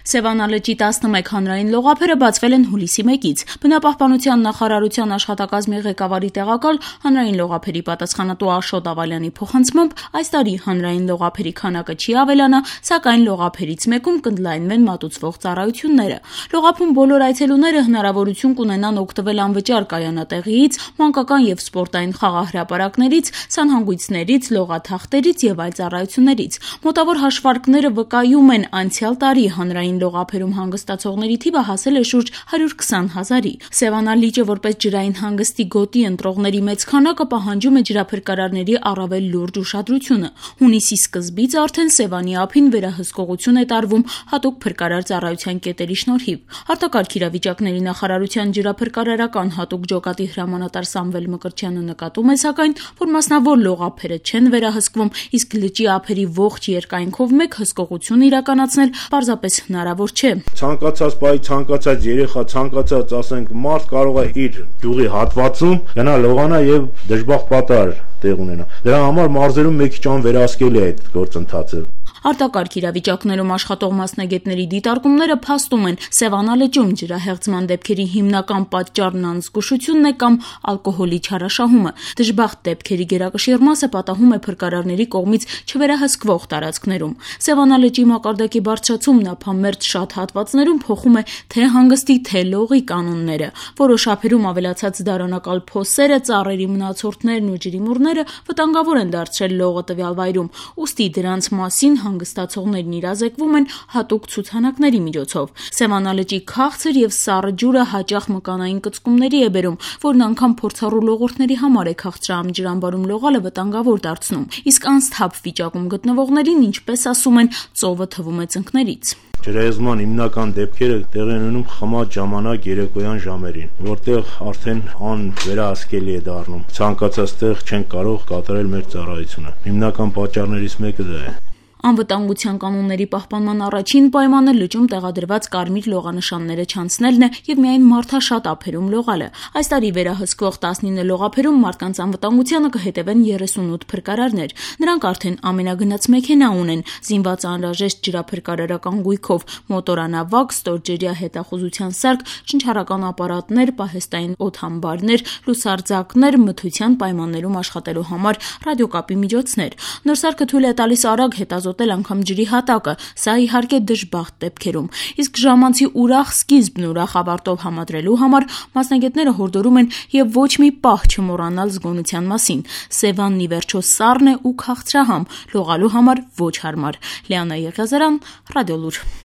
Սևանա լճի 11 հանրային լողափերը բացվել են հուլիսի 1-ից։ Բնապահպանության նախարարության աշխատակազմի ղեկավարի տեղակալ հանրային լողափերի պատասխանատու Աշոտ Ավալյանի փոխանցմամբ այս տարի հանրային լողափերի քանակը չի ավելանա, սակայն լողափերից մեկում կընդլայնվեն մատուցվող ծառայությունները։ Լողափում բոլոր այցելուները հնարավորություն կունենան օգտվել անվճար կայանատեղիից, մանկական եւ սպորտային խաղահրապարակներից, սանհանգույցներից, լողաթախտերից եւ այլ ծառայություններից։ Մոտավոր հաշվարկները վկայում են անցյալ տարի հանրային լողափերում հանգստացողների թիվը հասել է շուրջ 120 000-ի։ Սևանա լիճը որպես ջրային հանգստի գոտի ընտրողների մեծ քանակը պահանջում է ջրափրկարարների առավել լուրջ ուշադրությունը։ Հունիսի սկզբից արդեն Սևանի ափին վերահսկողություն է տարվում հատուկ փրկարար ծառայության կետերի շնորհիվ։ Արտակարգ իրավիճակների նախարարության ջրափրկարարական հատուկ ջոկատի հրամանատար Սամվել Մկրտչյանը նկատում է սակայն, որ մասնավոր լողափերը չեն վերահսկվում, իսկ լճի ափերի ողջ երկայնքով մեկ հսկողություն իրականացնել պարզապես հնարավոր չէ։ Ցանկացած բայ, ցանկացած երեխա, ցանկացած, ասենք, մարդ կարող է իր գյուղի հատվածում գնա լողանա եւ դժբախտ պատահար տեղ ունենա։ Դրա համար մարզերում մի քիչ անվերահսկելի է այդ գործընթացը։ Արտակարգ իրավիճակներում աշխատող մասնագետների դիտարկումները փաստում են Սևանա լճում ջրահեղձման դեպքերի հիմնական պատճառն անզգուշությունն է կամ ալկոհոլի չարաշահումը։ Դժբախտ դեպքերի գերակշիռ մասը պատահում է փրկարարների կողմից չվերահսկվող տարածքներում։ Սևանա լճի մակարդակի բարձրացումն ափամերձ շատ հատվածներում փոխում է թե հանգստի, թե լողի կանոնները։ Որոշ ափերում ավելացած դարանակալ փոսերը, ծառերի մնացորդներն ու ջրիմուռները վտանգավոր են դարձրել լողը տվյալ վայրում։ Ուստի դրանց մասին հանգստացողներն իրազեկվում են հատուկ ցուցանակների միջոցով։ Սևանա լճի քաղցր եւ սառը ջուրը հաճախ մկանային կծկումների է բերում, որն անգամ փորձառու լողորդների համար է քաղցրահամ ջրամբարում լողալը վտանգավոր դարձնում։ Իսկ անսթափ վիճակում գտնվողներին, ինչպես ասում են, ծովը թվում է ծնկներից։ Ջրահեղձման հիմնական դեպքերը տեղի են ունենում խմած ժամանակ երեկոյան ժամերին, որտեղ արդեն անվերահսկելի է դառնում։ Ցանկացած տեղ չեն կարող կատարել մեր ծառայությունը։ Հիմնական պատճառներից մեկը դա է։ Անվտանգության կանոնների պահպանման առաջին պայմանը լճում տեղադրված կարմիր լողանշանները չանցնելն է եւ միայն մարդաշատ ափերում լողալը։ Այս տարի վերահսկվող 19 լողափերում մարդկանց անվտանգությանը կհետևեն 38 փրկարարներ։ Նրանք արդեն ամենագնաց մեքենա ունեն, զինված անհրաժեշտ ջրափրկարարական գույքով, մոտորանավակ, ստորջրյա հետախուզության սարք, շնչառական ապարատներ, պահեստային օդհամբարներ, լուսարձակներ, մթության պայմաններում աշխատելու համար ռադիոկապի միջոցներ։ Նոր սարքը թույլ է տալիս արագ հետազոտել անգամ ջրի հատակը, սա իհարկե դժբախտ դեպքերում։ Իսկ ժամանցի ուրախ սկիզբն ուրախ ավարտով համադրելու համար մասնագետները հորդորում են եւ ոչ մի պահ չմոռանալ զգոնության մասին։ Սևանն ի վերջո սառն է ու քաղցրահամ, լողալու համար ոչ հարմար։ Լիանա Եղիազարյան, Ռադիոլուր։